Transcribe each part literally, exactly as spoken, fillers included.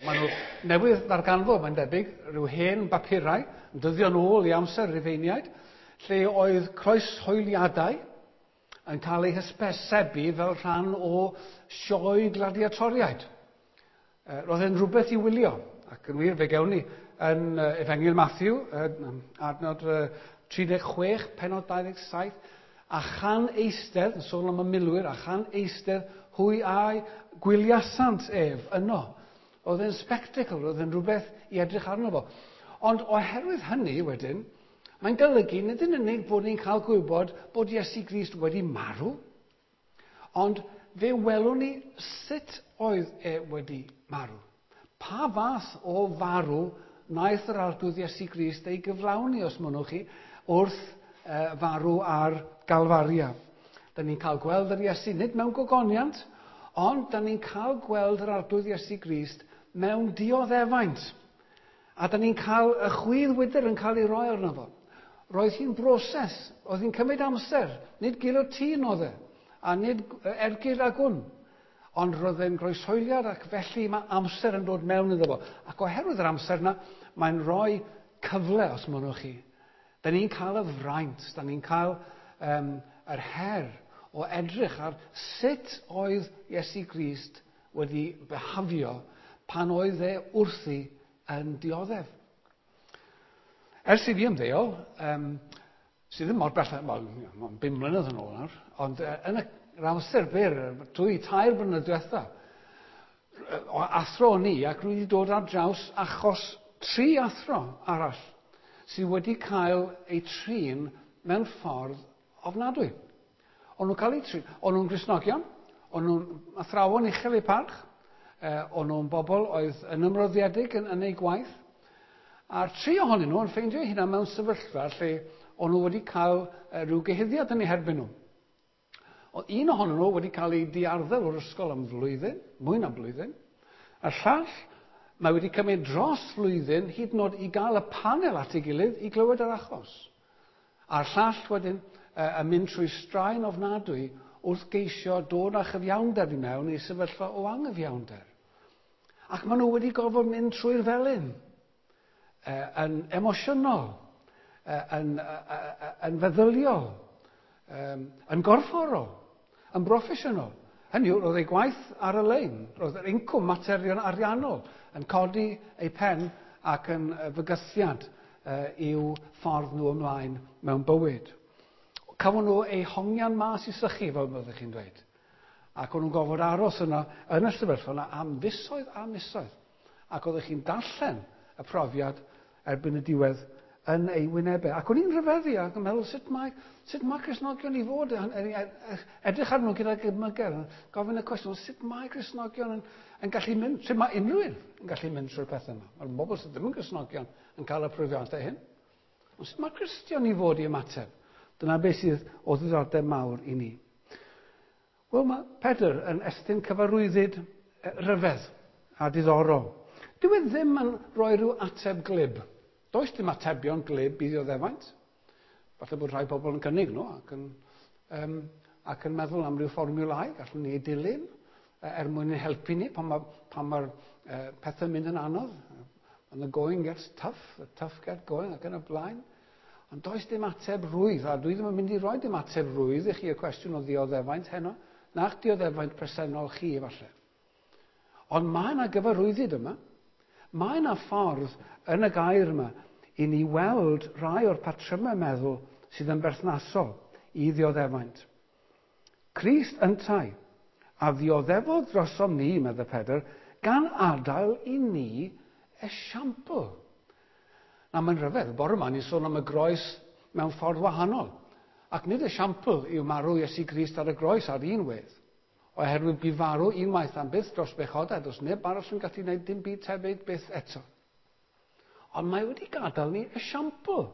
Maen nhw newydd ddarganfod, mae'n debyg, rhyw hen bapurau, yn dyddio'n ôl i amser Rufeiniaid, lle oedd croeshoeliadau yn cael eu hysbysebu fel rhan o sioe gladiatoriaid. Roedd e'n rhywbeth i wylio, ac yn wir fe gewn ni yn Efengyl Matthew, adnod tri deg chwech, pennod dau ddeg saith, a chan eistedd, yn sôn am y milwyr, a chan eistedd hwy a'i gwyliasant ef yno. Oedd e'n spectacle, oedd e'n rhywbeth i edrych arno fo. Ond oherwydd hynny wedyn, mae'n golygu nid yn unig bod ni'n cael gwybod bod Iesu Grist wedi marw, ond fe welwn ni sut oedd e wedi marw. Pa fath o farw wnaeth yr Arglwydd Iesu Grist ei gyflawni, os mynnwch chi, wrth uh, farw ar Galfaria. Da ni'n cael gweld yr Iesu nid mewn gogoniant, ond da ni'n cael gweld yr Arglwydd Iesu Grist mewn dioddefaint. A da ni'n cael y chwydd wydr yn cael ei roi arno fo. Roedd hi'n broses, oedd hi'n cymryd amser, nid guillotine oedd e, a nid ergyd a gwn. Ond roedd e'n groeshoeliad ac felly mae amser yn dod mewn iddo fo. Ac oherwydd yr amser yna, mae'n rhoi cyfle, os mynnwch chi. Da ni'n cael y fraint, da ni'n cael um, yr her o edrych ar sut oedd Iesu Grist wedi behafio pan oedd e wrthi yn dioddef. Ers i fi ymddeol, um, sydd ddim mor bell, wel, mae'n bum mlynedd yn ôl nawr, ond uh, yn yr amser byr, dwy, tair blynedd diwetha, o athro o'n i, ac rwy wedi dod ar draws achos tri athro arall sydd wedi cael eu trin mewn ffordd ofnadwy. O'n nhw'n cael eu trin, o'n nhw'n Gristnogion, o'n nhw'n athrawon uchel eu parch, eh, o'n nhw'n bobl oedd yn ymroddiedig yn, yn eu gwaith, a'r tri ohonyn nhw yn ffeindio eu hunain mewn sefyllfa lle o'n nhw wedi cael eh, rhyw gyhuddiad yn eu herbyn nhw. Oedd un ohonyn nhw wedi cael ei diarddel o'r ysgol am flwyddyn, mwy na blwyddyn, a'r llall mae wedi cymryd dros flwyddyn hyd yn oed i gael y panel at ei gilydd i glywed yr achos. A'r llall wedyn yn mynd trwy straen ofnadwy wrth geisio dod â chyfiawnder i mewn i sefyllfa o anghyfiawnder. Ac maen nhw wedi gorfod mynd trwy'r felin, yn emosiynol, yn, yn feddyliol, yn gorfforol, yn broffesiynol. Hynny yw, roedd ei gwaith ar y lein, roedd yr incwm materion ariannol yn codi ei pen ac yn fygythiad i'w ffordd nhw ymlaen mewn bywyd. Cafon nhw eu hongian mas i sychu, fel byddwch chi'n dweud. Ac o'n nhw'n gorfod aros yna yn y sefyllfa yna am fisoedd a misoedd. Ac oeddech chi'n darllen y profiad erbyn y diwedd yn ei wynebau. Ac o'n i'n rhyfeddu ac yn meddwl sut mae, sut mae Cristnogion i fod yn, yn, yn, edrych arnyn nhw gyda gymygedd, gofyn y cwestiwn, sut mae Cristnogion yn, yn gallu mynd, sut mae unrhyw un yn gallu mynd trwy'r pethau yma. Mae'r bobl sydd ddim yn Cristnogion yn cael y profiadau hyn. Ond sut mae Cristion i fod i ymateb? Dyna beth sydd o ddiddordeb mawr i ni. Wel, mae Pedr yn estyn cyfarwyddyd rhyfedd a diddorol. Dyw e ddim yn rhoi rhyw ateb glib. Does dim atebion glib i ddioddefaint. Falle bod rhai pobl yn cynnig nhw ac yn, um, ac yn meddwl am ryw fformiwlau gallwn ni ei dilyn er mwyn ein helpu ni pan mae'r pan ma uh, pethau'n mynd yn anodd. When the going gets tough, the tough get going ac yn y blaen. Ond does dim ateb rwydd, a dwi ddim yn mynd i roi dim ateb rwydd i chi y cwestiwn o ddioddefaint heno, na'ch dioddefaint presennol chi efallai. Ond mae yna gyfarwyddyd yma. Mae yna ffordd yn y gair yma i ni weld rhai o'r patrymau meddwl sydd yn berthnasol i ddioddefaint. Crist yntau, a ddioddefodd drosom ni, meddai Pedr, gan adael i ni esiampl. Na, mae'n rhyfedd, bore yma ni'n sôn am y groes mewn ffordd wahanol. Ac nid esiampl yw marw Iesu Grist ar y groes ar un wedd. Oherwydd bu farw unwaith am byth dros bechodau, does neb arall yn gallu gwneud dim byd tebyg byth eto. Ond mae wedi gadael ni esiampl.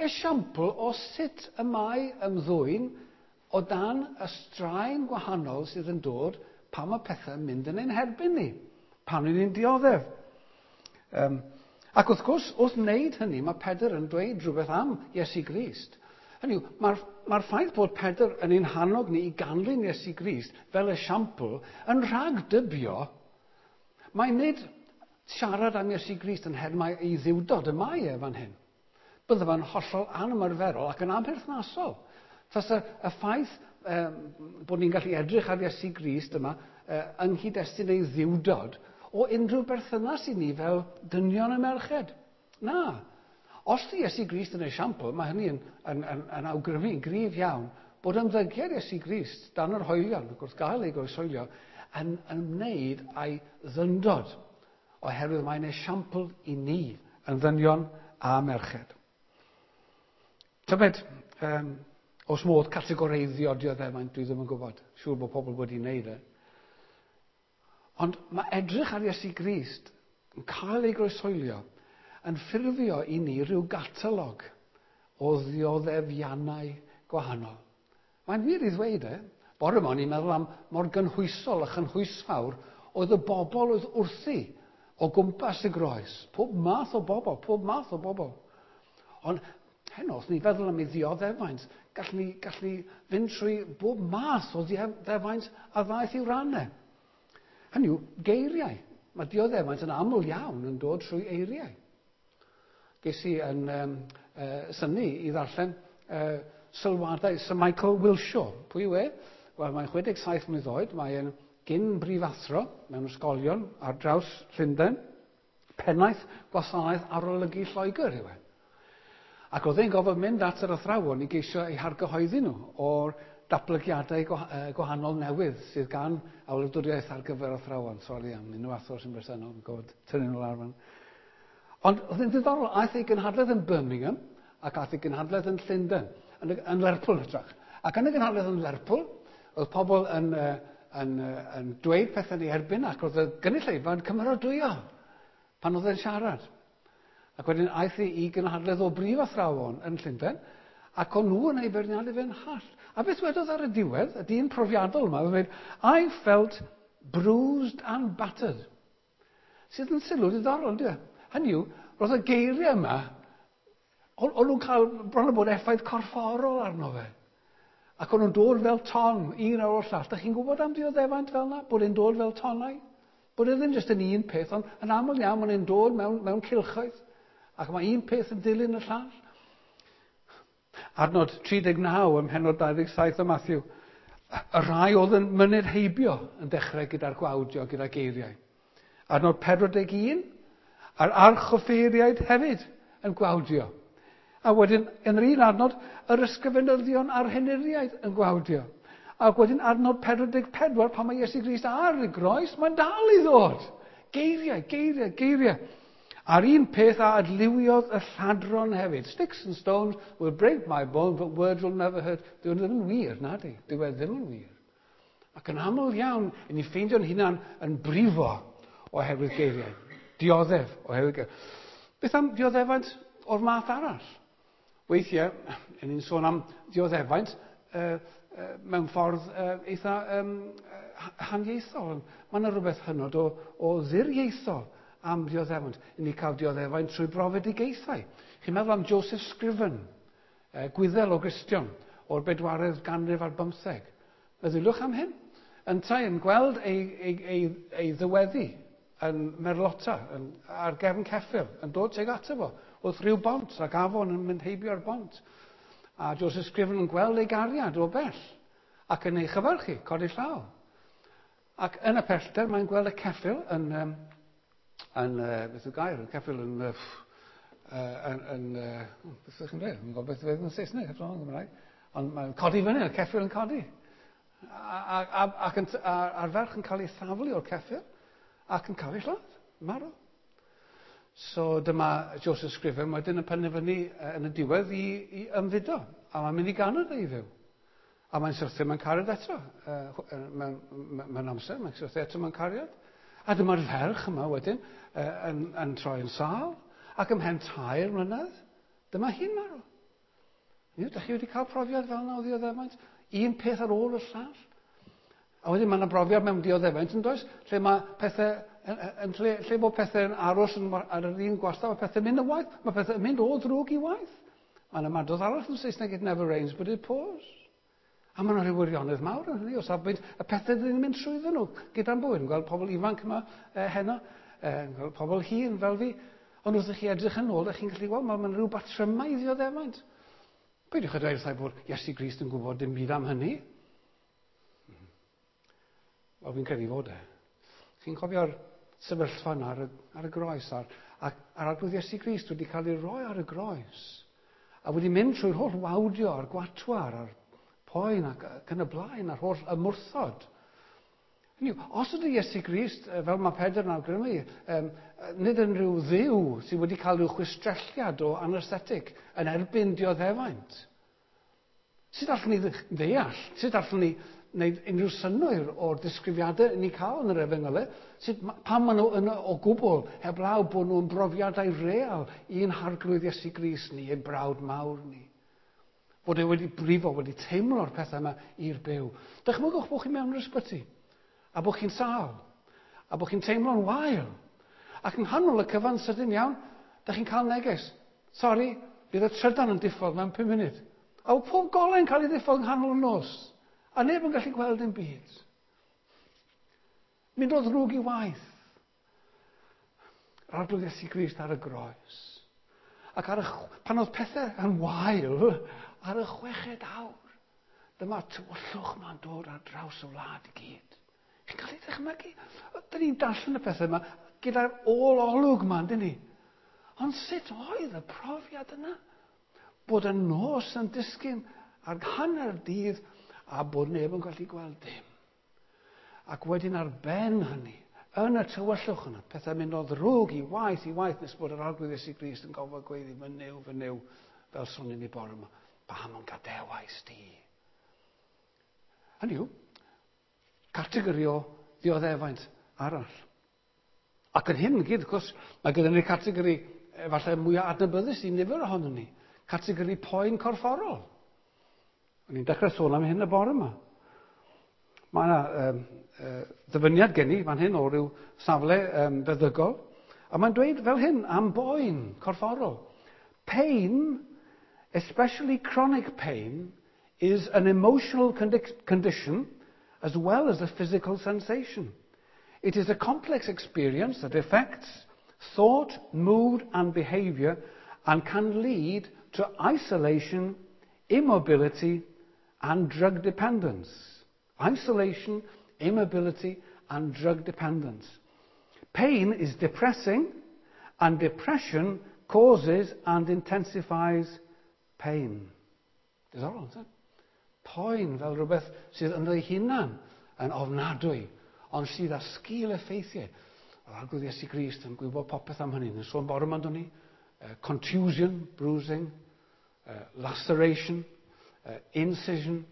Esiampl o sut y mae ymddwyn o dan y straen gwahanol sydd yn dod pan mae pethau'n mynd yn ein herbyn ni, pan ni'n dioddef. Um, ac wrth gwrs, wrth wneud hynny, mae Pedr yn dweud rhywbeth am Iesu Grist. Hynny yw, mae'r mae'r ffaith bod Pedr yn ein hannog ni i ganlyn Iesu Grist fel esiampl yn rhagdybio, mae nid siarad am Iesu Grist yn nhermau ei ddiwdod y mae e fan hyn. Bydde fo'n hollol anymarferol ac yn amherthnasol. Tasa y ffaith um, bod ni'n gallu edrych ar Iesu Grist yma uh, yng nghyd-destun ei ddiwdod o unrhyw berthynas i ni fel dynion a merched. Na. Os di Iesu Grist yn esiampl, mae hynny yn, yn, yn, yn awgrymu yn gryf iawn bod ymddygiad Iesu Grist dan yr hoelion, ac wrth gael ei groeshoelio, yn ymwneud â'i ddyndod, oherwydd mae'n esiampl i ni yn ddynion a merched. Tybed, um, oes modd categoreiddio dioddefaint, dwi ddim yn gwybod. Siŵr bod pobl wedi wneud e. Ond mae edrych ar Iesu Grist yn cael ei groeshoelio yn ffurfio i ni rhyw gatalog o ddioddefiannau gwahanol. Mae'n wir i ddweud e. Bore yma o'n i'n meddwl am mor gynhwysol a chynhwysfawr oedd y bobl oedd wrthi o gwmpas y groes. Pob math o bobl, pob math o bobl. Ond heno, os ni feddwl am ei ddioddefaint, gallwn ni, gallwn ni fynd trwy bob math o ddioddefaint a ddaeth i'w rannau. Hynny yw, geiriau. Mae dioddefaint yn aml iawn yn dod trwy eiriau. Ges i yn um, uh, synnu i ddarllen uh, sylwadau Sir Michael Wilshaw. Pwy yw e? Wel, mae'n chwe deg saith mlwydd oed, mae'n gyn brifathro mewn ysgolion ar draws Llundain, pennaeth gwasanaeth arolygu Lloegr yw e. Ac oedd e'n gofod mynd at yr athrawon i geisio eu hargyhoeddi nhw o'r datblygiadau gwahanol newydd sydd gan y wladwriaeth ar gyfer athrawon. Sori am unrhyw athro sy'n bresennol, yn gofod tynnu nhw lawr fan. Ond oedd e'n ddiddorol, aeth ei gynhadledd yn Birmingham ac aeth ei gynhadledd yn Llundain, yn, yn Lerpwl hytrach. Ac yn y gynhadledd yn Lerpwl, oedd pobl yn, yn, yn, yn dweud pethau yn ei erbyn ac oedd y gynulleidfa yn cymeradwyo pan oedd e'n siarad. Ac wedyn aeth ei i gynhadledd o brif athrawon yn Llundain, ac o'n nhw yn ei beirniadu fe'n hallt. A beth wedodd ar y diwedd, y dyn profiadol yma, oedd dweud, "I felt bruised and battered." Sydd yn sylw diddorol, on'd yw e? Hynny yw, roedd y geiriau yma, o'n nhw'n cael bron o bod effaith corfforol arno fe. Ac o'n nhw'n dod fel ton, un ar ôl llall. Dych chi'n gwybod am dioddefaint fel yna? Bod e'n dod fel tonnau? Bod e ddim jyst yn un peth, ond yn aml iawn mae'n e'n dod mewn, mewn cylchoedd. Ac mae un peth yn dilyn y llall. Adnod tri deg naw ym mhennod dau ddeg saith o Matthew. Y rhai oedd yn myned heibio yn dechrau gyda'r gwawdio, gyda geiriau. Adnod pedwar deg un, a'r archoffeiriaid hefyd yn gwawdio. A wedyn, yn yr un adnod, yr ysgrifenyddion a'r henuriaid yn gwawdio. Ac wedyn adnod pedwar deg pedwar, pan mae Iesu Grist ar y groes, mae'n dal i ddod. Geiriau, geiriau, geiriau. A'r un peth a adliwiodd y lladron hefyd. "Sticks and stones will break my bones, but words will never hurt." Dyw e ddim yn wir, na di. Dyw e ddim yn wir. Ac yn aml iawn, i ni ffeindio'n hunan yn brifo oherwydd geiriau. Dioddef oherwydd geiriau. Beth am dioddefaint o'r math arall? Weithiau, yn ni'n sôn am dioddefaint uh, uh, mewn ffordd uh, eitha um, haniaethol. Mae yna rhywbeth hynod o, o ddiriaethol am dioddefaint. I ni cael dioddefaint trwy brofedigaethau. Chi'n meddwl am Joseph Scriven, uh, Gwyddel o Gristion, o'r bedwaredd ganrif ar bymtheg. Meddyliwch am hyn. Yntau yn gweld ei, ei, ei, ei ddyweddi yn merlota, yn, ar gefn ceffyl, yn dod tuag ato fo, wrth rhyw bont, ac afon yn mynd heibio'r bont. A Joseph Scriven yn gweld ei gariad o bell, ac yn ei chyfarchu, codi llaw. Ac yn y pellter mae'n gweld y ceffyl yn, um, yn uh, beth yw gair, y ceffyl yn, uh, yn, yn, uh, beth ydych chi'n dweud? Yn gwybod beth yw'n Saesneg, heb sôn yn Gymraeg. Ond mae'n codi fyny, y ceffyl yn codi. A, a, a, ac yn, a, a'r ferch yn cael ei thaflu o'r ceffyl ac yn cael ei lladd, marw. So dyma Joseph Scriven wedyn yn penderfynu yn y diwedd i, i ymfudo. A mae'n mynd i Ganada i fyw. A mae'n syrthio mewn cariad eto. Uh, mewn, mewn amser, mae'n syrthio eto mewn cariad. A dyma'r ferch yma wedyn uh, yn, yn troi yn sâl. Ac ymhen tair mlynedd, dyma hi'n marw. Ydych chi wedi cael profiad fel yna o ddioddefaint? Un peth ar ôl y llall. A wedyn mae yna brofiad mewn dioddefaint, yn does? Lle mae pethau, yn, yn, lle, lle bod pethau'n aros yn, ar yr un gwastad, mae pethau'n mynd yn waeth, mae pethau'n mynd o ddrwg i waeth. Mae yna ymadrodd arall yn Saesneg, "It never rains but it pours." A mae yna rhyw wirionedd mawr yn hynny o safbwynt y pethau dyn ni'n mynd trwyddyn nhw gyda'n bywyd. Yn gweld pobl ifanc yma eh, heno, eh, pobl hŷn fel fi. Ond wrth i chi edrych yn ôl, ydych chi'n gallu gweld, mae'n rhyw batrymau i ddioddefaint. Peidiwch â dweud wrtha i bod Iesu Grist yn gwybod dim byd am hynny. Wel, fi'n credu fod e. Chi'n cofio'r sefyllfa yna ar y, ar y groes, a'r, a'r, a'r Arglwydd Iesu Grist wedi cael ei roi ar y groes, a wedi mynd trwy'r holl wawdio a'r gwatwar a'r poen ac, ac yn y blaen, a'r holl ymwrthod. Hynny yw, os ydy Iesu Grist, fel mae Pedr yn awgrymu, um, nid yn rhyw dduw sydd wedi cael rhyw chwistrelliad o anesthetic yn erbyn dioddefaint. Sut allwn ni ddeall? Sut allwn ni wneud unrhyw synnwyr o'r disgrifiadau ni'n cael yn yr efengylau? Sut, pam maen nhw yno o gwbl heblaw bod nhw'n brofiadau real i'n Harglwydd Iesu Grist ni, ein brawd mawr ni? Bod e wedi brifo, wedi teimlo'r pethau yma i'r byw. Dychmygwch bod chi mewn yr ysbyty, a bod chi'n sâl, a bod chi'n teimlo'n wael. Ac yng nghanol y cyfan sydyn iawn, dych chi'n cael neges. Sori, bydd y trydan yn diffodd mewn pum munud. A pob golau'n cael ei ddiffodd yng nghanol y nos. A neb yn gallu gweld dim byd. Mynd o ddrwg i waeth. Yr Arglwydd Iesu Grist ar y groes. Ac ar y, pan oedd pethau yn wael, ar y chweched awr, dyma tywyllwch ma'n dod ar draws y wlad i gyd. Chi'n cael ei ddychmygu? Dyn ni'n darllen y pethau yma gyda'r ôl-olwg yma, dyn ni? Ond sut oedd y profiad yna? Bod y nos yn disgyn ar hanner dydd a bod neb yn gallu gweld dim. Ac wedyn ar ben hynny, yn y tywyllwch yna, pethau mynd o ddrwg i waeth i waeth nes bod yr Arglwydd Iesu Grist yn gofod gweiddi, fy Nuw, fy Nuw, fel sonion ni bore yma, pam yn gadewais di? Hynny yw, categori o ddioddefaint arall. Ac yn hyn gyd, wrth gwrs, mae gyda ni categori efallai mwyaf adnabyddus i nifer ohonon ni. Categori poen corfforol. O'n i'n dechrau sôn am hyn y bore yma. Mae yna um, uh, ddyfyniad gen i fan hyn o ryw safle um, feddygol. A mae'n dweud fel hyn am boen corfforol. Pain, especially chronic pain, is an emotional condi- condition as well as a physical sensation. It is a complex experience that affects thought, mood and behavior and can lead to isolation, immobility and drug dependence. Isolation, immobility and drug dependence. Pain is depressing and depression causes and intensifies pain. Diddorol, isn't it? Poen fel rhywbeth sydd ynddo ei hunan yn ofnadwy, ond sydd â sgil effeithiau. Yr Arglwydd Iesu Grist yn gwybod popeth am hynny. Yn sôn bore yma, ni. Uh, contusion, bruising, uh, laceration, uh, incision,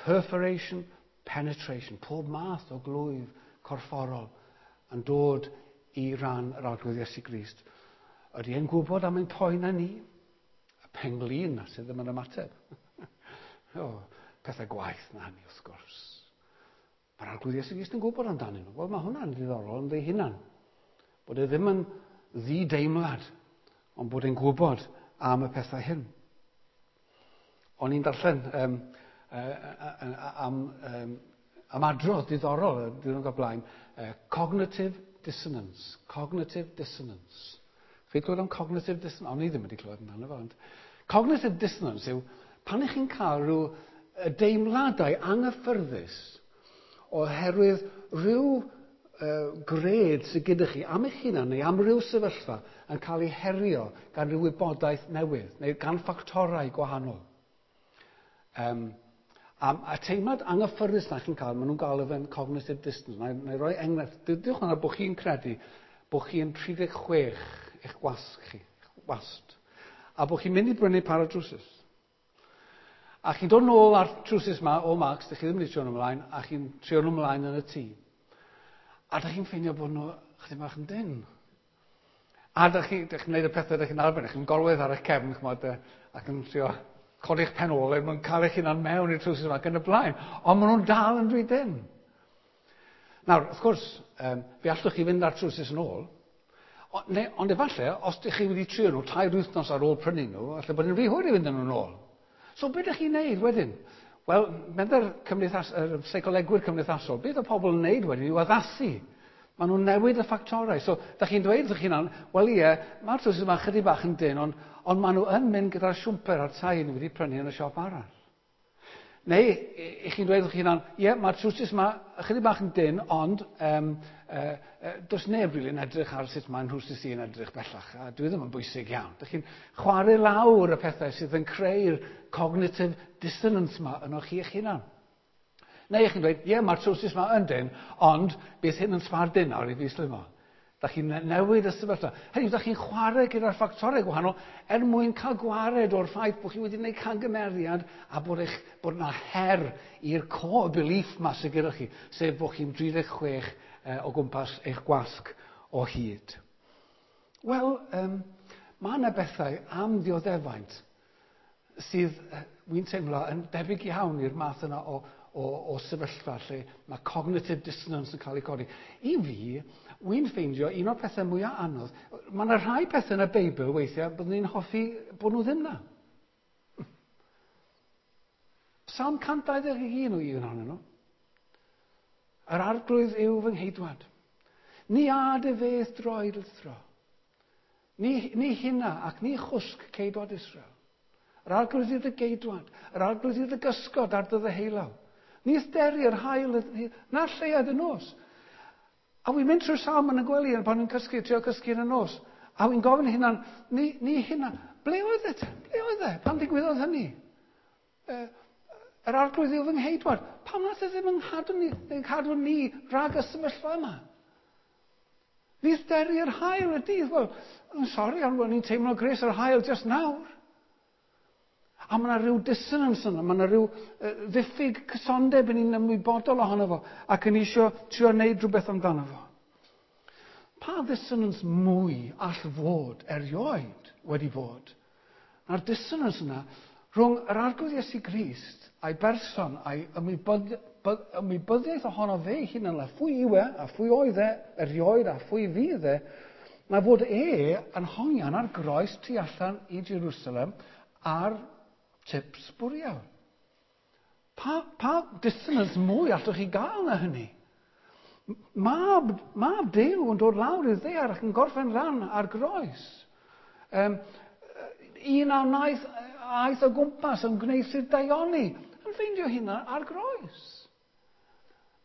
perforation, penetration. Pob math o glwyf corfforol yn dod i ran yr Arglwydd Iesu Grist. Ydy e'n gwybod am ein poen ni? Y penglin sydd ddim yn ymateb. O, pethau gwaeth na hynny, wrth gwrs. Mae'r Arglwydd Iesu Grist yn gwybod amdanyn nhw. Wel, mae hwnna'n ddiddorol yn ei hunan. Bod e ddim yn ddi-deimlad, ond bod e'n gwybod am y pethau hyn. O'n i'n darllen um, uh, am, um, am adrodd diddorol y diwrnod o'r blaen, uh, cognitive dissonance. Cognitive dissonance. Chi clywed am cognitive dissonance? O'n i ddim wedi clywed amdano fo. Ond cognitive dissonance yw pan ych chi'n cael rhyw deimladau anghyffyrddus oherwydd rhyw uh, gred sydd gyda chi am eich hunan neu am ryw sefyllfa yn cael ei herio gan ryw wybodaeth newydd neu gan ffactorau gwahanol. Um, a, a teimlad anghyffyrddus na chi'n cael, maen nhw'n galw fe'n cognitive dissonance. Na, na i roi enghraifft. Dydwch yna bod chi'n credu bod chi'n tri deg chwech eich gwasg chi, eich wast, a bod chi'n mynd i brynu par o drwsus. A chi'n dod nôl ar trwsus ma o Marks, dych chi ddim wedi trio nhw ymlaen, a chi'n trio nhw ymlaen yn y tŷ. A dych chi'n ffeindio bod nhw chydig bach yn dynn. A dych chi'n chi gwneud y pethau dych chi'n arfer, chi'n gorwedd ar eich cefn, ch'mod, ac yn trio codi'ch pen ôl er mwyn cael eich hunan mewn i'r trwsus yma ac yn y blaen. Ond maen nhw'n dal yn rhy dynn. Nawr, wrth gwrs, um, fe allwch chi fynd â'r trwsus yn ôl, o, neu, ond efallai, os ydych chi wedi trio nhw tair wythnos ar ôl prynu nhw, allai bod yn rhy hwyr i fynd â nhw'n ôl. So, beth ydych chi'n neud wedyn? Wel, medda'r cymdeithas, yr seicolegwyr cymdeithasol, beth oedd pobl yn neud wedyn yw addasu. Maen nhw'n newid y ffactorau. So, da chi'n dweud wrth chi'n, wel ie, mae'r trowsus yma chydig bach yn dyn, ond, ond maen nhw yn mynd gyda'r siwmper a'r tai ni wedi prynu yn y siop arall. Neu, i chi'n dweud wrth chi'n, ie, mae'r trowsus yma chydig bach yn dyn, ond um, uh, uh, does neb rili'n edrych ar sut mae'n nhrowsus i yn edrych bellach, a dwi ddim yn bwysig iawn. Dych chi'n chwarae lawr y pethau sydd yn creu'r cognitive dissonance yma yno chi eich hunan. Neu chi'n dweud, ie, mae'r trowsus yma yn dyn, ond bydd hyn yn sbardun nawr i fi slymo. Da chi'n newid y sefyllfa. Hynny yw, da chi'n chwarae gyda'r ffactorau gwahanol er mwyn cael gwared o'r ffaith bod chi wedi gwneud camgymeriad a bod, eich, bod yna her i'r core belief ma sydd gyda chi, sef bod chi'n dri deg chwech eh, o gwmpas eich gwasg o hyd. Wel, um, mae yna bethau am ddioddefaint sydd, wy'n teimlo, yn debyg iawn i'r math yna o, o, o sefyllfa lle mae cognitive dissonance yn cael ei codi. I fi, wy'n ffeindio un o'r pethau mwyaf anodd, mae yna rhai pethau yn y Beibl weithiau byddwn ni'n hoffi bod nhw ddim na. Psalm cant dau ddeg un o un ohonyn nhw. Yr arglwydd yw fy ngheidwad. Ni ad y feth droed lithro. Ni, ni hynna ac ni chwsg ceidwad Israel. Yr arglwydd yw dy geidwad. Yr arglwydd yw dy gysgod ar dy ddeheulaw. Ni ysderi yr haul na'r lleuad y nos. A wy'n mynd trwy'r salm yn y gwely pan wy'n cysgu, trio cysgu yn y nos. A wy'n gofyn hunan, ni, ni hynna, ble oedd e? Ble oedd e? Pam ddigwyddodd hynny? E, yr arglwydd yw fy ngheidwad. Pam nath e ddim yn cadw ni, yn cadw ni rhag y sefyllfa yma? Ni ysderi yr haul y dydd. Wel, I'm sorry, ond ni'n teimlo gres yr haul just nawr. A mae yna rhyw dissonance yna, mae yna rhyw uh, ddiffyg cysondeb yn ni'n ymwybodol ohono fo, ac yn eisiau trio wneud rhywbeth amdano fo. Pa dissonance mwy all fod erioed wedi bod? Na'r dissonance yna rhwng yr Arglwydd Iesu Grist a'i berson a'i ymwybod, ymwybyddiaeth ohono fe ei hunan, a phwy yw e, a phwy oedd e erioed, a phwy fydd e, na fod e yn hongian ar groes tu allan i Jerusalem ar tip sbwriel. Pa, pa dissonance mwy allwch chi gael na hynny? Mab, mab Duw yn dod lawr i'r ddaear ac yn gorffen lan ar groes. Um, un a wnaeth aeth o gwmpas yn gwneud sydd daioni, yn ffeindio hynna ar groes.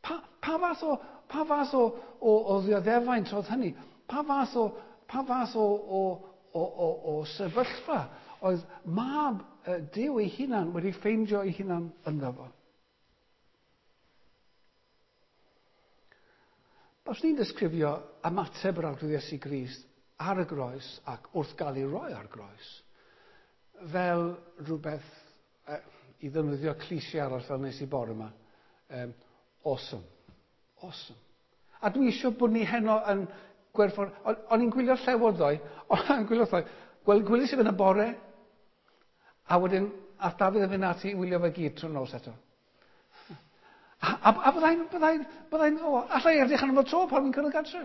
Pa, pa fath o, pa fath o, o, o ddioddefaint oedd hynny? Pa fath o, pa fath o, o, o, o, o sefyllfa oedd mab Duw ei hunan wedi ffeindio ei hunan ynddo fo? Os ni'n disgrifio ymateb yr Arglwydd Iesu Grist ar y groes ac wrth gael ei roi ar groes, fel rhywbeth, eh, i ddefnyddio cliché arall fel nes i bore yma, um, awesome. Awesome. A dwi eisiau bod ni heno yn gwerthfawr... O'n i'n gwylio Llewod ddoe, o'n i'n gwylio ddoe, gwel, gwylies i fe yn y bore, a wedyn ath Dafydd yn fynd ati i wylio fe gyd trwy'r nos eto. A, a, a byddai'n, byddai'n, byddai'n, o, allai edrych arno fo tro pan fi'n cyrraedd gartre.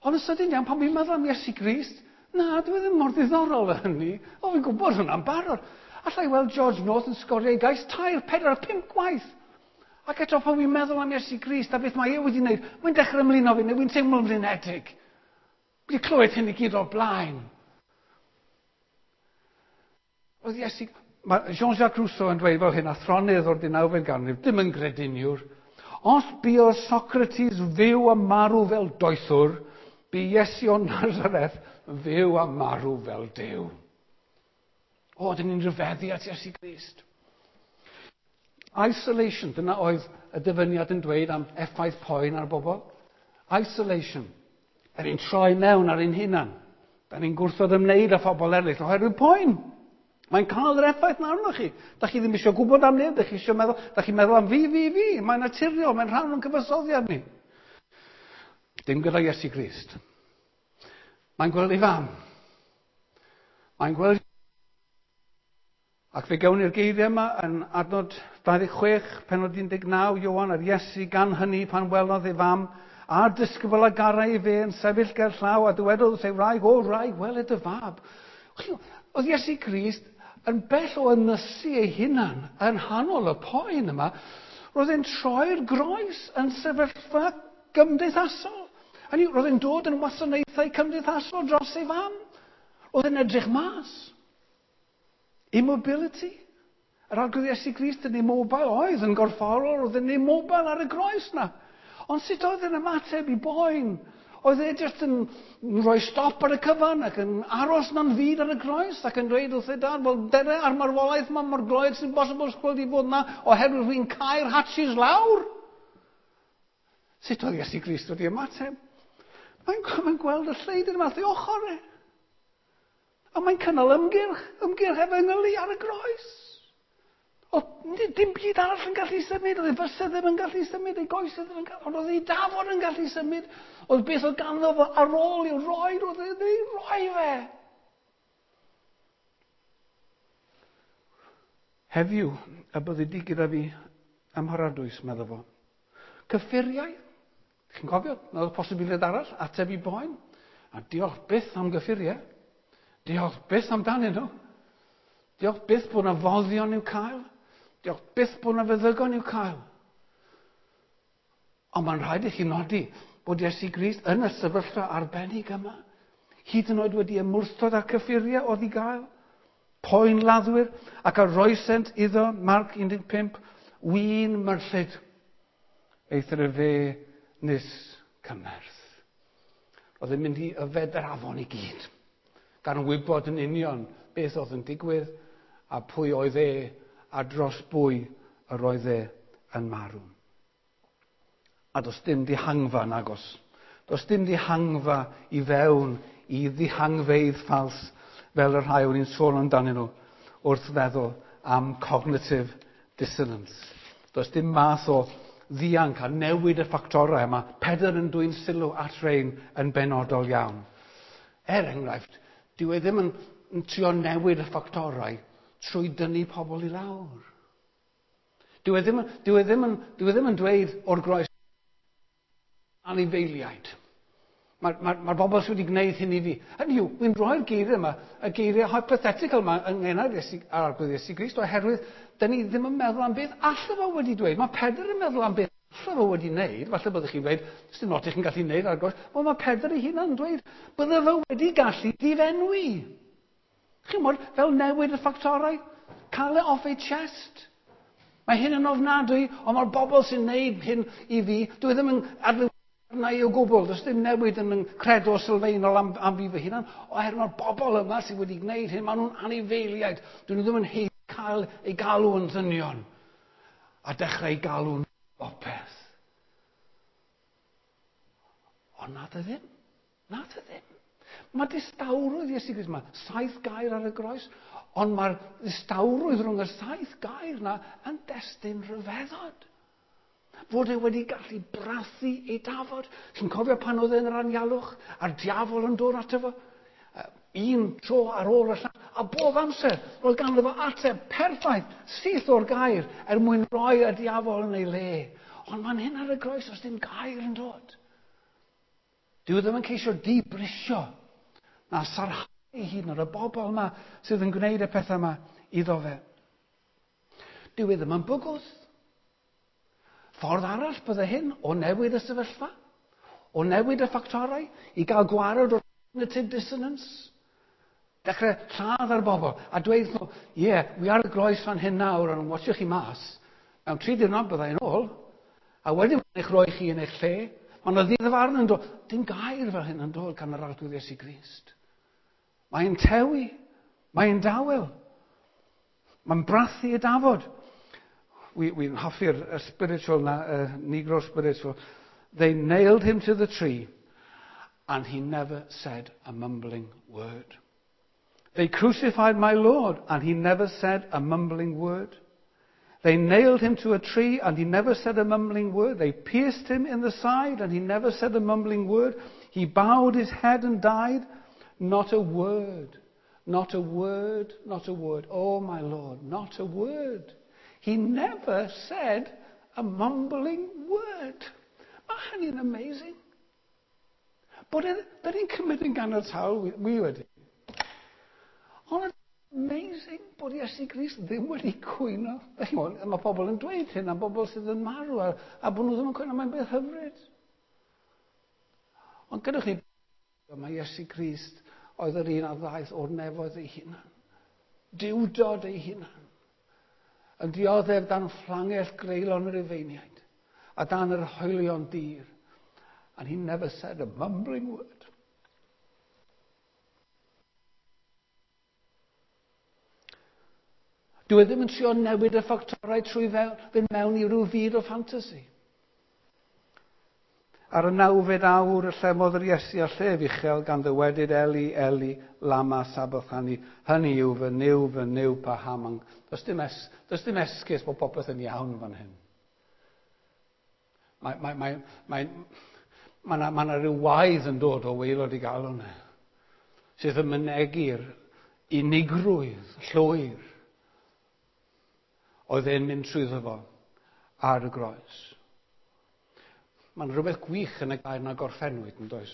Ond yn sydyn iawn, pan fi'n meddwl am Iesu Grist, na, dwi ddim mor ddiddorol â hynny. O, fi'n gwybod hwnna'n barod. Allai weld George North yn sgorio ei gais tair, pedwar, pump gwaith. Ac eto pan fi'n meddwl am Iesu Grist a beth mae e wedi wneud, mae'n dechrau ymlino fi, neu fi'n teimlo'n flinedig. Wedi clywed hyn i gyd o'r blaen. Oedd Iesu, mae Jean-Jacques Rousseau yn dweud fel hyn, athronydd o'r deunawfed ganrif, dim yn grediniwr. Os buodd Socrates fyw a marw fel doethwr, bu Iesu o Nazareth fyw a marw fel Duw. O, dyn ni'n rhyfeddu at Iesu Grist. Isolation, dyna oedd y dyfyniad yn dweud am effaith poen ar bobl. Isolation. Da ni'n troi mewn ar ein hunan. Da ni'n gwrthod ymwneud â phobl eraill oherwydd poen. Mae'n cael yr effaith na arnoch chi. Da chi ddim eisiau gwybod am neb, da chi eisiau meddwl, da chi'n meddwl am fi, fi, fi. Mae'n naturiol, mae'n rhan o'n cyfansoddiad ni. Dim gyda Iesu Grist. Mae'n gweld ei fam. Mae'n gweld... Ac fe gawn ni'r geiriau yma yn adnod dau ddeg chwech, pennod un deg naw, Ioan a'r Iesu gan hynny pan welodd ei fam, a'r disgybl a garai fe yn sefyll ger llaw a dywedodd wrth ei wraig, o wraig, wele dy fab. Oedd Iesu Grist yn bell o ynysu ei hunan yn hanol y poen yma, roedd e'n troi'r groes yn sefyllfa gymdeithasol. Hynny, roedd e'n dod yn wasanaethau cymdeithasol dros ei fam. Roedd e'n edrych mas. Immobility. Yr Arglwydd Iesu Grist yn immobile oedd yn gorfforol, roedd yn immobile ar y groes na. Ond sut oedd yn ymateb i boen? Oedd e jyst yn rhoi stop ar y cyfan ac yn aros na'n fyd ar y groes ac yn dweud wrth ei dad, "Wel, dere ar marwolaeth ma mor gloed sy'n bosibl sgweld i fod na oherwydd fi'n cau'r hatches lawr." Sut oedd Iesu Grist wedi ymateb? Mae'n mae gweld y lleidr yma wrth ei ochr e. A mae'n cynnal ymgyrch, ymgyrch efengylu ar y groes. O, dim byd arall yn gallu symud, oedd ei fysedd ddim yn gallu symud, ei goesau ddim yn gallu, ond oedd ei dafod yn gallu symud. Oedd beth oedd ganddo fo ar ôl i'w roi, oedd ei roi fe. Heddiw, y byddi di gyda fi ym mharadwys, medda fo. Cyffuriau, chi'n cofio, na oedd posibiliad arall, ateb i boen. A diolch byth am gyffuriau. Diolch byth amdanyn nhw. Diolch byth bod yna foddion i'w cael. Diolch byth bod yna feddygon i'w cael. Ond mae'n rhaid i chi nodi bod Iesu Grist yn y sefyllfa arbennig yma, hyd yn oed wedi ymwrthod â'r cyffuriau oedd i gael, poen laddwyr, ac a roesent iddo, Marc un deg pump, win myrllyd, eithr y fe nis cymerth. Oedd yn mynd i yfed yr afon i gyd, gan wybod yn union beth oedd yn digwydd a pwy oedd e a dros bwy yr oedd e yn marw. A does dim dihangfa nagos. Does dim dihangfa i fewn i ddihangfeydd ffals fel y rhai o'n i'n sôn amdanyn nhw wrth feddwl am cognitive dissonance. Does dim math o ddianc a newid y ffactorau yma. Pedr yn dwyn sylw at rein yn benodol iawn. Er enghraifft, dyw e ddim yn, yn trio newid y ffactorau trwy dynnu pobl i lawr. Dyw e ddim, dyw e ddim, yn, dyw e ddim yn dweud o'r groes anifeiliaid. Mae'r ma, ma bobl sydd wedi gwneud hyn i fi. Hynny yw, wy'n rhoi'r geiriau yma, y geiriau hypothetical yma yng ngenau'r Arglwydd Iesu Grist, oherwydd dyn ni ddim yn meddwl am beth alle fo wedi dweud. Mae Pedr yn meddwl am beth alle fo wedi wneud. Falle byddwch chi'n dweud, sdim lot i chi'n gallu wneud ar groes. Wel, mae Pedr ei hunan yn dweud, bydde fo wedi gallu difenwi. Chi'n gwybod, fel newid y ffactorau, cael e off ei chest. Mae hyn yn ofnadwy, ond mae'r bobl sy'n wneud hyn i fi, dwi ddim yn adlewyrchu arna i o gwbl, does dim newid yn yn credo sylfaenol am, am fi fy hunan, oherwydd mae'r bobl yma sydd wedi gwneud hyn, maen nhw'n anifeiliaid, dyn nhw ddim yn haeddu cael eu galw yn ddynion, a dechrau eu galw'n bopeth. Ond na dy ddim, na dy ddim. Mae distawrwydd Iesu Grist yma, saith gair ar y groes, ond mae'r distawrwydd rhwng y saith gair na yn destun rhyfeddod. Fod e wedi gallu brathu ei dafod. Chi'n cofio pan oedd e'n yr anialwch a'r diafol yn dod ato fo? Un tro ar ôl y llall, a bob amser roedd ganddo fo ateb perffaith, syth o'r gair, er mwyn rhoi y diafol yn ei le. Ond mae'n hyn ar y groes os dim gair yn dod. Dyw e ddim yn ceisio dibrisio na sarhau hyd yn oed y bobl yma sydd yn gwneud y pethau yma iddo fe. Dyw e ddim yn bygwth. Ffordd arall bydde hyn o newid y sefyllfa, o newid y ffactorau, i gael gwared o'r cognitive dissonance. Dechrau lladd ar bobl a dweud nhw, ie, yeah, wi ar y groes fan hyn nawr, ond watchwch chi mas. Mewn tri diwrnod bydda i'n ôl, a wedyn mae'n eich rhoi chi yn eich lle. Mae yna ddydd farn yn dod. Dim gair fel hyn yn dod gan yr Arglwydd Iesu Grist. Mae'n tewi, mae'n dawel, mae'n brathu y dafod. Wy'n hoffi'r spiritual na, uh, Negro spiritual. They nailed him to the tree and he never said a mumbling word. They crucified my Lord and he never said a mumbling word. They nailed him to a tree and he never said a mumbling word. They pierced him in the side and he never said a mumbling word. He bowed his head and died. Not a word, not a word, not a word. Oh, my Lord, not a word. He never said a mumbling word. Mae hynny'n amazing. Bod e, da ni'n cymryd yn ganiataol, wi wedi. Ond amazing bod Iesu Grist ddim wedi cwyno. Mae pobl yn dweud hyn am bobl sydd yn marw a, a bod nhw ddim yn cwyno, mae'n beth hyfryd. Ond gadewch ni, mae Iesu Grist oedd yr un a ddaeth o'r nefoedd ei hunan. Duwdod ei hunan. Yn dioddef dan fflangell greulon yr Rufeiniaid a dan yr hoelion dir. And he never said a mumbling word. Dwi e ddim yn trio newid y ffactorau trwy fynd mewn i ryw fyd o ffantasi. Ar y nawfed awr y llemodd yr Iesu â llef uchel gan ddywedyd Eli, Eli, lama sabachthani. Hynny yw fy Nuw, fy Nuw, paham. Does dim, es, does dim esgus bod popeth yn iawn fan hyn. Mae, mae, mae, mae, mae yna, mae yna rhyw waedd yn dod o waelod i galon e, sydd yn mynegi'r unigrwydd llwyr oedd e'n mynd trwyddo fo ar y groes. Mae'n rhywbeth gwych yn y gair na gorffennwyd, yn does?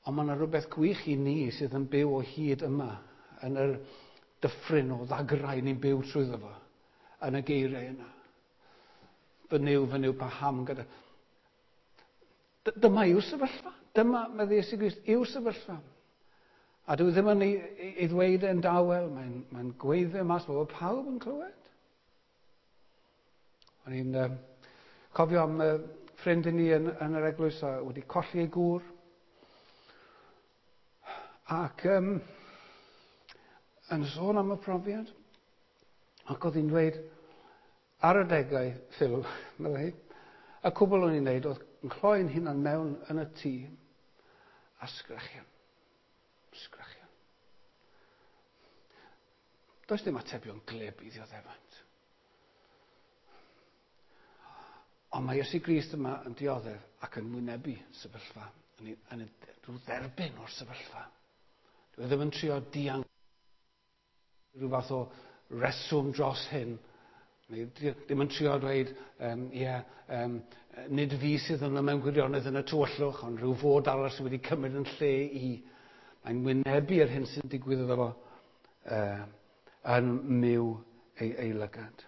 Ond mae yna rhywbeth gwych i ni sydd yn byw o hyd yma, yn yr dyffryn o ddagrau ni'n byw trwyddo fo, yn y geiriau yna. Fy Nuw, fy Nuw, paham gyda... Dyma yw'r sefyllfa. Dyma, medde Iesu Grist, yw'r sefyllfa. A dwi ddim yn ei, ei ddweud e'n dawel, mae'n mae gweiddi mas bod pawb yn clywed. O'n i'n uh, cofio am uh, ffrind i ni yn, yn yr eglwys a wedi colli ei gŵr. Ac um, yn sôn am y profiad, ac oedd hi'n dweud, ar adegau, Phil, meddai hi, y cwbl o'n i'n neud oedd yn cloi'n hunan mewn yn y tŷ a sgrechian. Sgrechian. Does dim atebion glib i ddioddefant. Ond mae Iesu Grist yma yn dioddef ac yn wynebu sefyllfa, yn, yn, yn dderbyn o'r sefyllfa. Dwi ddim yn trio dianc rhyw fath o reswm dros hyn. Neu ddim yn trio dweud, um, ie, um, nid fi sydd yna mewn gwirionedd yn y tywyllwch, ond rhyw fod arall sydd wedi cymryd yn lle i. Mae'n wynebu yr hyn sy'n digwydd iddo fo uh, yn myw ei, ei lygad.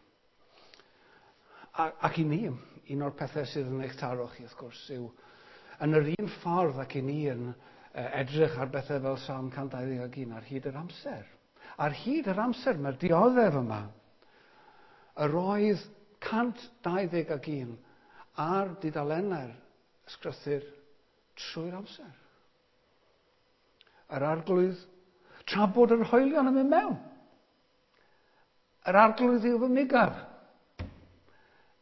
A, ac i ni, un o'r pethau sydd yn eich taro chi, wrth gwrs, yw yn yr un ffordd ac i ni yn edrych ar bethau fel Salm cant dau ddeg un ar hyd yr amser. Ar hyd yr amser mae'r dioddef yma. Yr oedd cant dau ddeg un ar dudalennau'r ysgrythur trwy'r amser. Yr arglwydd, tra bod yr hoelion yn mynd mewn. Yr arglwydd yw fy migaf.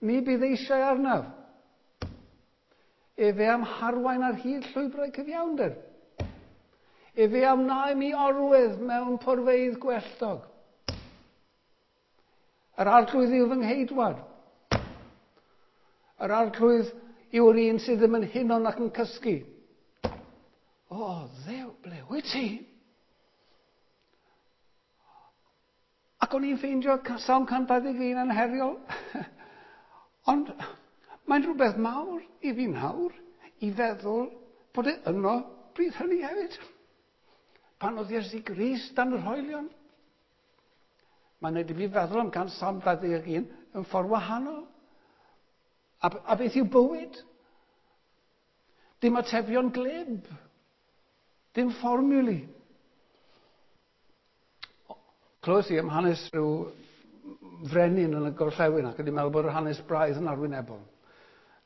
Mi bydd eisiau arnaf. Efe am harwain ar hyd llwybrau cyfiawnder. Efe am wna i mi orwedd mewn porfeydd gwelltog. Yr arglwydd yw fy ngheidwad. Yr arglwydd yw'r un sydd ddim yn hunan ac yn cysgu. O, Dduw, ble wyt ti? Ac o'n i'n ffeindio Salm cant dau ddeg un yn heriol. Ond mae'n rhywbeth mawr i fi nawr i feddwl bod e yno bryd hynny hefyd. Pan oedd Iesu Grist dan yr hoelion. Mae'n neud i fi feddwl am gan Salm dau ddeg un yn ffordd wahanol. A, a beth yw bywyd? Dim atebion glib. Dim fformiwli. Clywes i am hanes rhyw frenin yn y gorllewin, ac o'n i'n meddwl bod yr hanes braidd yn arwynebol.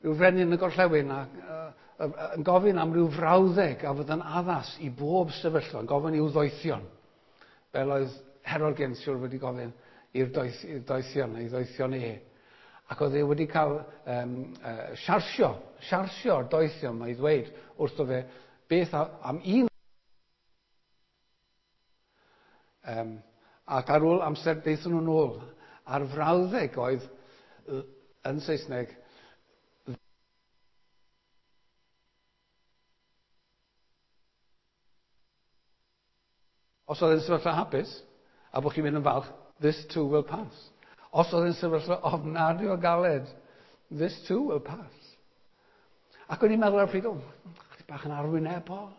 Rhyw frenin yn y gorllewin ac, uh, uh, yn gofyn am ryw frawddeg a fydd yn addas i bob sefyllfa, yn gofyn i'w ddoethion, fel oedd Herod Gensiwr wedi gofyn i'r doeth, doethion, ei ddoethion e. Ac oedd e wedi cael um, uh, siarsio, siarsio'r doethion, mae i ddweud wrtho fe beth am un. Um, ac ar ôl amser daethon nhw'n ôl, a'r frawddeg oedd yn Saesneg, os oedd yn sefyllfa hapus, a bod chi'n mynd yn falch, this too will pass. Os oedd yn sefyllfa ofnadwy o galed, this too will pass. Ac o'n i'n meddwl ar y pryd, o, chydig bach yn arwynebol.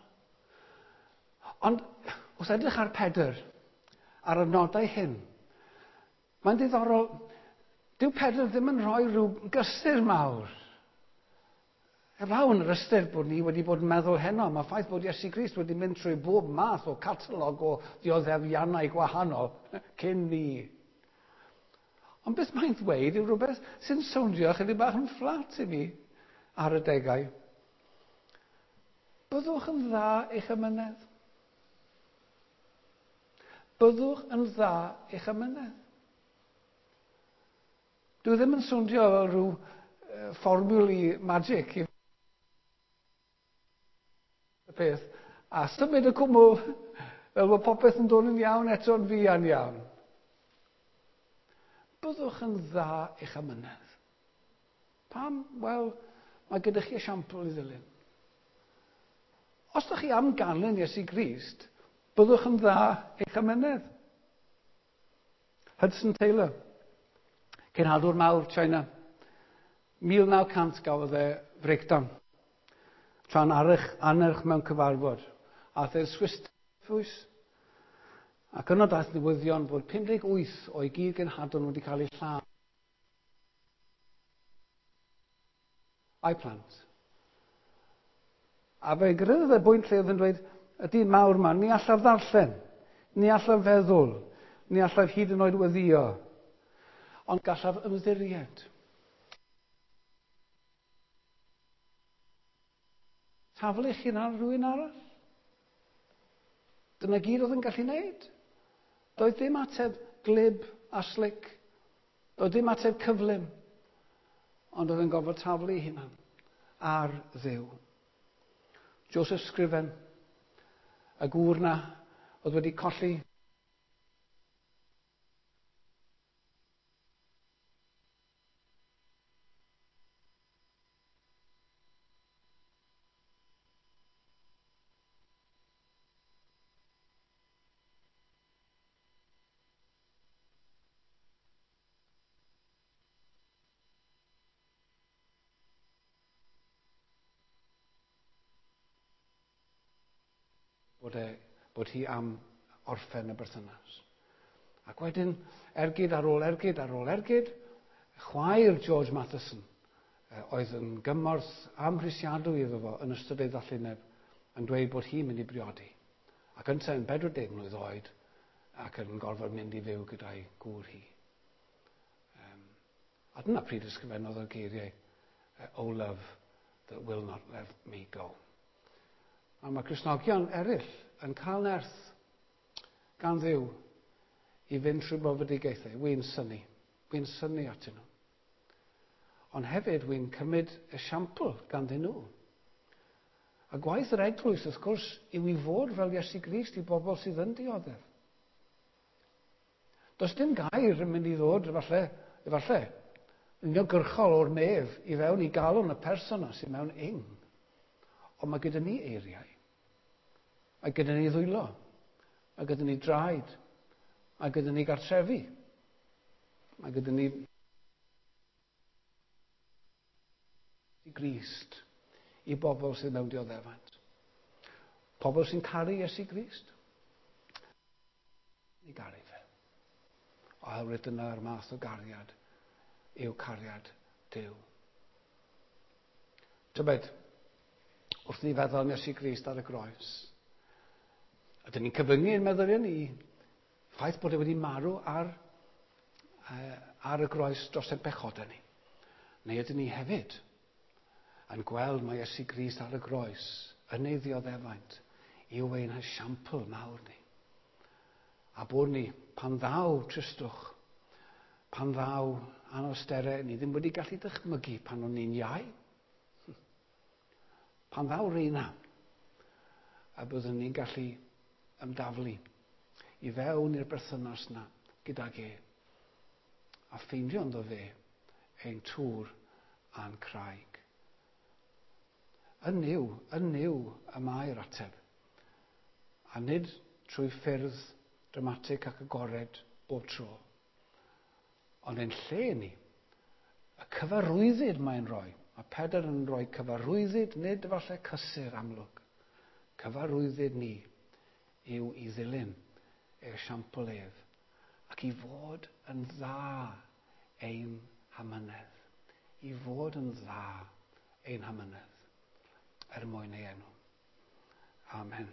Ond, wrth edrych ar Pedr, ar y nodau hyn, mae'n ddiddorol, dyw Pedr ddim yn rhoi rhyw gysur mawr Heblaw yn yr ystyr bod ni wedi bod yn meddwl heno am y ffaith bod Iesu Grist wedi mynd trwy bob math o catalog o ddioddefiannau gwahanol cyn ni. Ond beth mae'n ddweud yw rhywbeth sy'n sowndio chydig bach yn fflat i mi ar y degau. Byddwch yn dda eich amynedd. Byddwch yn dda eich amynedd. Dwi ddim yn sowndio fel rhyw fformiwli magic i y peth, a symud y cwmwl fel bod popeth yn dod yn iawn eto'n fuan iawn. Byddwch yn dda eich amynedd. Pam? Wel, mae gyda chi esiampl i ddilyn. Os ydych chi am ganlyn Iesu Grist, byddwch yn dda eich amynedd. Hudson Taylor, cenhadwr mawr China, mil naw cant gafodd e breakdown. Tra'n arch, anerch mewn cyfarfod. Aeth e'r Swiss Fwys. Ac yno daeth newyddion bod pum deg wyth o'i gyd genhadon wedi cael eu lladd. A'i plant. A fe gyrraeddodd e bwynt lle oedd yn dweud, y dyn mawr ma, ni allaf ddarllen, ni allaf feddwl, ni allaf hyd yn oed weddio, ond gallaf ymddiried. Taflu eich hun ar rhywun arall. Dyna gyd oedd yn gallu wneud. Doedd dim ateb glib a slic. Doedd dim ateb cyflym. Ond oedd yn gorfod taflu ei hunan ar Dduw. Joseph Scriven, y gŵr na oedd wedi colli bod, e, bod hi am orffen y berthynas. Ac wedyn, ergyd ar ôl ergyd ar ôl ergyd, chwaer George Matheson oedd yn gymorth amhrisiadwy iddo fo yn ystod ei ddallineb yn dweud bod hi'n mynd i briodi. Ac yntau yn bedwar deg mlwydd oed ac yn gorfod mynd i fyw gyda'i gŵr hi. Um, a dyna pryd ysgrifennodd y geiriau, "O love that will not let me go." A mae Cristnogion eraill yn cael nerth gan Dduw i fynd trwy brofedigaethau. Wy'n synnu. Wy'n synnu atyn nhw. Ond hefyd wy'n cymryd esiampl ganddyn nhw. A gwaith yr eglwys, wrth gwrs, yw i fod fel Iesu Grist i bobl sydd yn dioddef. Does dim gair yn mynd i ddod, efallai, efallai, uniongyrchol o'r nef i fewn i galon y person sydd mewn ing. Ond mae gyda ni eiriau. Mae gyda ni ddwylo. Mae gyda ni draed. Mae gyda ni gartrefi. Mae gyda ni Grist i bobl sydd mewn dioddefaint. Pobl sy'n caru Iesu Grist. I garu fe. Oherwydd dyna'r math o gariad yw cariad Duw. Tybed, wrth ni feddwl am Iesu Grist ar y groes, ydyn ni'n cyfyngu ein meddyliau ni ffaith bod e wedi marw ar, uh, ar y groes dros ein pechodau ni. Neu ydyn ni hefyd yn gweld mae Iesu Grist ar y groes yn ei ddioddefaint yw ein esiampl mawr ni. A bod ni, pan ddaw tristwch, pan ddaw anawsterau, ni ddim wedi gallu dychmygu pan o'n ni'n iau. Pan ddaw reina, a byddwn ni'n gallu ymdaflu i fewn i'r berthynas na gydag e, a ffeindio ynddo fe ein tŵr a'n craig. Yn Nuw, yn Nuw y mae'r ateb. A nid trwy ffyrdd dramatig ac agored bob tro. Ond ein lle ni, y cyfarwyddyd mae'n rhoi. Mae Pedr yn rhoi cyfarwyddyd, nid efallai cysur amlwg. Cyfarwyddyd ni yw i ddilyn esiampl ef ac i fod yn dda ein hamynedd. I fod yn dda ein hamynedd. er mwyn ei enw. Amen.